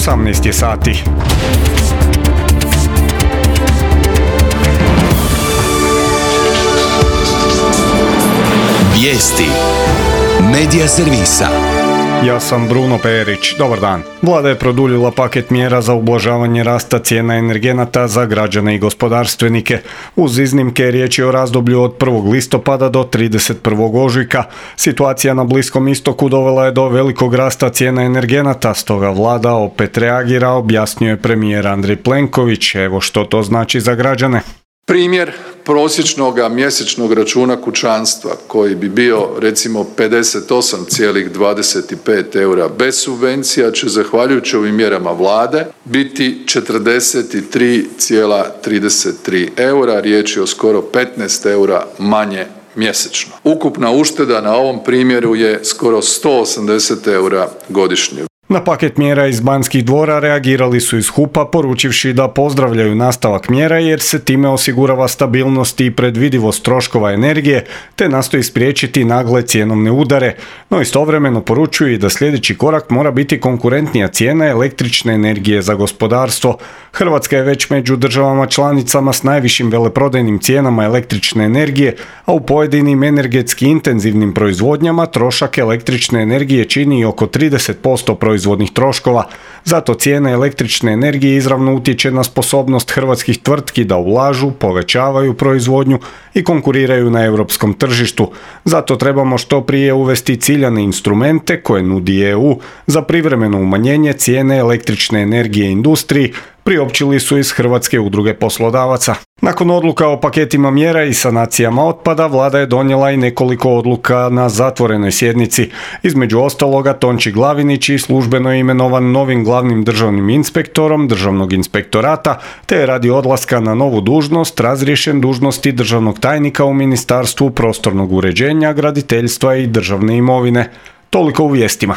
18 je sati. Vijesti Medija servisa. Ja sam Bruno Perić. Dobar dan. Vlada je produljila paket mjera za ublažavanje rasta cijena energenata za građane i gospodarstvenike. Uz iznimke riječ je o razdoblju od 1. listopada do 31. ožujka. Situacija na Bliskom istoku dovela je do velikog rasta cijena energenata, stoga vlada opet reagira, objasnio je premijer Andrej Plenković. Evo što to znači za građane. Primjer prosječnog mjesečnog računa kućanstva koji bi bio recimo 58,25 eura bez subvencija će zahvaljujući ovim mjerama vlade biti 43,33 eura, riječ je o skoro 15 eura manje mjesečno. Ukupna ušteda na ovom primjeru je skoro 180 eura godišnje. Na paket mjera iz Banskih dvora reagirali su iz HUP-a poručivši da pozdravljaju nastavak mjera jer se time osigurava stabilnost i predvidivost troškova energije te nastoji spriječiti nagle cjenovne udare, no istovremeno poručuju i da sljedeći korak mora biti konkurentnija cijena električne energije za gospodarstvo. Hrvatska je već među državama članicama s najvišim veleprodajnim cijenama električne energije, a u pojedinim energetski intenzivnim proizvodnjama trošak električne energije čini oko 30% proizvodnih troškova. Zato cijena električne energije izravno utječe na sposobnost hrvatskih tvrtki da ulažu, povećavaju proizvodnju i konkuriraju na europskom tržištu. Zato trebamo što prije uvesti ciljane instrumente koje nudi EU za privremeno umanjenje cijene električne energije industriji, priopćili su iz Hrvatske udruge poslodavaca. Nakon odluka o paketima mjera i sanacijama otpada, vlada je donijela i nekoliko odluka na zatvorenoj sjednici. Između ostaloga, Tonči Glavinić i službeno je imenovan novim glavnim državnim inspektorom Državnog inspektorata, te je radi odlaska na novu dužnost razriješen dužnosti državnog tajnika u Ministarstvu prostornog uređenja, graditeljstva i državne imovine. Toliko u vijestima.